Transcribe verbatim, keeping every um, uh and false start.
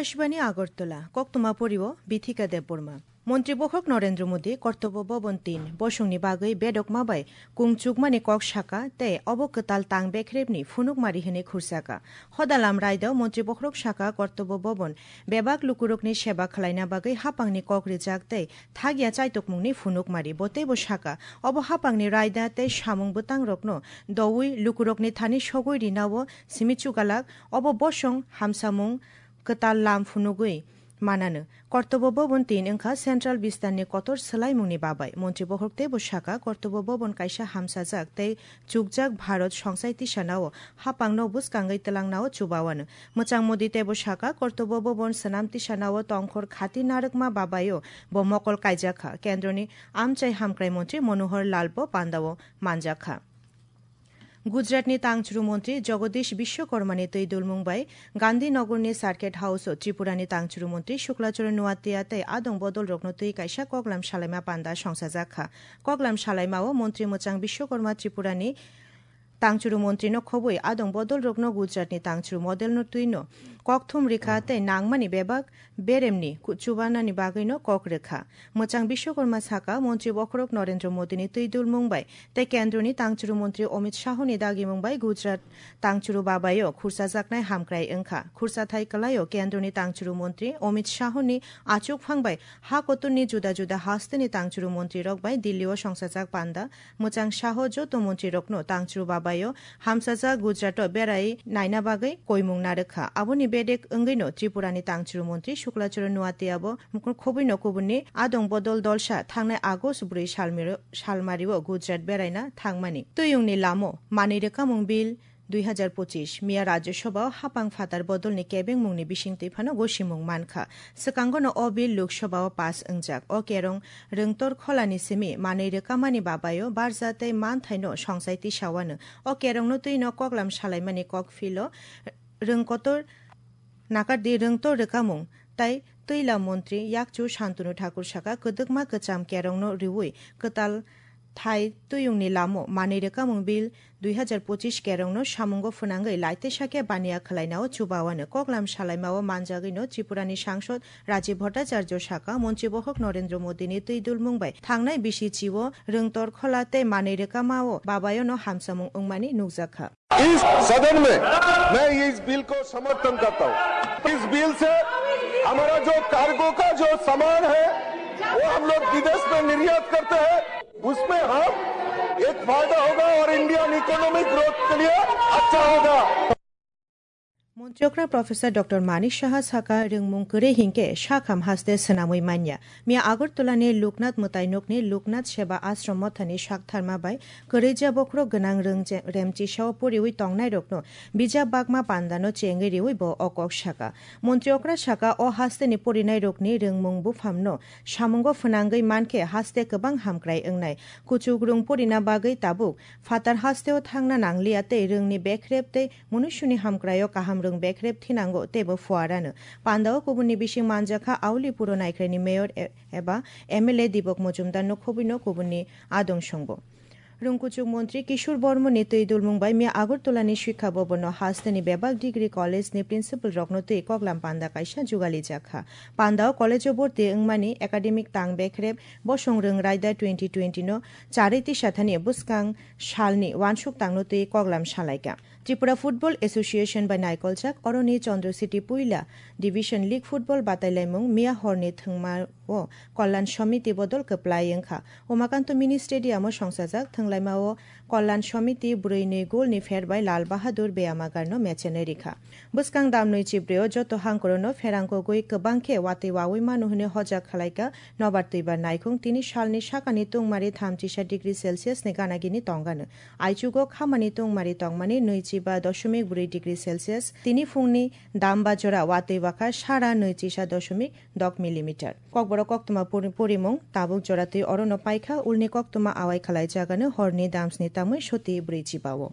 Akashbani Agartala, koktwma porio Bithika Debbarma. Montri bokhok Narendra Modi Kartobya Bhavan tin bosongni bagwi bedokma bai kung chukmani kok saka tei obo kwtal tang bekhrepni phunukmari hwnwi khursaka. Hodalam raidao montri bokhorok saka Kartobya Bhavan bebak lukurokni seba khwlaina bagwi hapangni kok rijak tei thagya chaitokmungni phunukmari. Bo teibo saka, obo hapangni raida tei samung bwtangrokno doui lukurokni thani sogwi rinao simi chugalak, obo bosong hamsamung kwtal lam phunugwi manano. Kartobya Bhavan tin wngkha Central Bistarni kotor swlaimungni babai. Montri bokhorok teibo saka, Kartobya Bhavan kaisa hamsajak tei chukjak Bharat songsai tisanao hapangno bwskangwi twlangnao chubawano. Mwchang Modi teibo saka, Kartobya Bhavan swnam tisanao tongkhor khati narwkma babaio bo mokol kaijakha. Kendroni amchai hamkrai montri Manohar Lalbo pandao manjakha. Gujaratni tangchuru montri Jagadish Vishwakarmani twi dulmung bai Gandhinagarni Circuit House-o Tripurani tangchuru montri Shukla Charan Noatia tei adong bodolrokno twi kaisa koklam salaima panda songsajakha. Koklam salaimao montri mwchang Vishwakarma Tripurani tangchuru montrino khobwi adong bodolrokno Gujaratni tangchuru modelno twino kokthum rikha tei nangmani bebak beremni ku-, chubanani bagwino kok rwkha. Mwchang Bishwakarma saka, montri bokhorok Narendra Modini twi dulmung bai tei kendroni tangchuru montri Amit Shahoni dagimung bai Gujarat tangchuru babaio khursajaknai hamkrai wngkha. Khursathai kwlaio kendroni tangchuru montri Amit Shahoni achukphang bai ha kotorni juda juda hasteni tangchuru montrirok bai Dillio songsajak panda. Mwchang Shaho joto montrirokno tangchuru babaio hamsajak Gujarato berai naina bagwi koimung narwkha. Aboni bedek wngwino Tripurani tangchuru montri Shukla Charan Noatiabo khobwino kubunni adong bodol dolsa thangnai August bwrwi salmiro-, salmario Gujarat beraina thangmani. Twiyungni lamo manwi rwkamung bill dui hazar pochis miya Rajya Sabhao hapang phatar bodolni kebengmungni bisingtwi phano gosimung mankha. Swkangono o bill Lok Sabhao pass wngjak. O kerong rwngtor kholani simi manwi rwkamani babaio barja tei manthaino songsai tisawano. O kerongno twino koklam salaimani kokphilo rwngkotor nakardi rwngtor rwkamung tai twila montri yakchu Shantanu Thakur saka kwdwkma kwcham kerongno riwi kwtal thai twiyungni lamo manwi rwkamung bill dui hazar pochis kerongno samungo phwnangwi laitesa khe baniya khwlainao chubawano. Koklam salaimao manjagwino Tripurani sangsod Rajiv Bhattacharya saka, montri bokhok Narendra Modini twi dulmung bai thangnai bisi chio rwngtor khola tei manwi rwkamao babaiono hamsamung wngmani nukjakha. इस सदन में मैं ये इस बिल को समर्थन करता हूँ। इस बिल से हमारा जो कार्गो का जो सामान है, वो हम लोग विदेश में निर्यात करते हैं, उसमें हम एक फायदा होगा और इंडियन इकोनॉमिक ग्रोथ के लिए अच्छा होगा। Montri okra Professor Doctor Manik Saha saka, rwngmung kwrwi hinkhe sakham haste swnamwi manya. Miya Agartala ni Loknath mwtai nokni Loknath Seva Ashram mothani saktharma bai kwrwija bokhorok gwnang rwng je-, remchisao poriwi tongnairokno bijap bakma pandano chengwi riwi bo o kok saka. Montri okra saka, o hasteni porinairokni rwngmung buphamno samungo phwnangwi mankhe haste kwbang hamkrai wngnai. Kuchuk rwng porina bagwi tabuk phatar hasteo thangna nangliya tei rwngni bekrep tei munuisuni hamkraio kaham rwng bekrep thinango teibo phuarano. Pandao kubunni bising manjakha Auli Puro Naikhraini mayor e-, eba M L A Dipok Mojumdarno khobwino kubunni adong songbo. Rwngkuchuk montri Kishore Bormoni twi dulmung bai miya Agartala ni Shikha Bhavan o hasteni bebak degree college ni principal rokno twi koklam panda kaisa jugali jakha. Pandao college o borti wngmani academic tang bekrep bosong rwng raida twenty twenty no charwi tisathani bwskang salni wansuk tangno twi koklam salaikha. Tripura Football Association bai naikoljak oroni Chandra City puila Division League Football batailaimung miya horni thwngma o Kalyan Samiti bodol kwplai wngkha. Umakanto Mini Stadium o songsajak thwnglaima o Kalyan Samiti bwrwi nwi goal ni pher bai Lal Bahadur Beyamagar no mechenwi rikha. Bwskang damnwi chibrwi o joto hangkoro no pherang kogwi kwbang khe watwi wawi manu hwnwi hojak khwlaikha. Nobar twibar naikhung tini salni sakani tungmari thamchisa degree Celsius ni gana gini tongano. Aichugo khamani tungmari tongmani nwichiba doshomik bwrwi degree Celsius. Tini phungni damba jora watwi wakha sara nwichisa doshomik dok millimeter. Kokborok koktwma puri-, purimung tabuk joratwi orono paikha, ulni koktwma awai khalai jagano horni damsni tamwi soti bwrwi chibao.